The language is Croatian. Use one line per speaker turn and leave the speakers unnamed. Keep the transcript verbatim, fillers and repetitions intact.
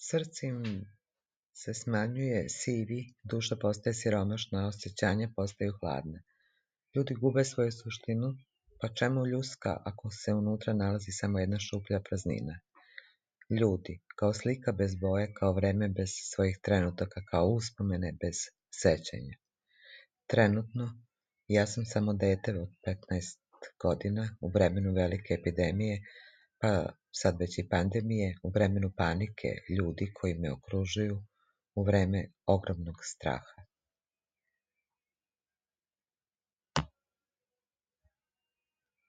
Srce im se smanjuje, sivi, duša postaje siromašna, osjećanja postaju hladna. Ljudi gube svoju suštinu, pa čemu ljuska ako se unutra nalazi samo jedna šuplja praznina? Ljudi, kao slika bez boje, kao vreme bez svojih trenutaka, kao uspomene bez sećanja. Trenutno, ja sam samo dete od petnaest godina u vremenu velike epidemije, pa sad već i pandemije, u vremenu panike ljudi koji me okružuju, u vreme ogromnog straha.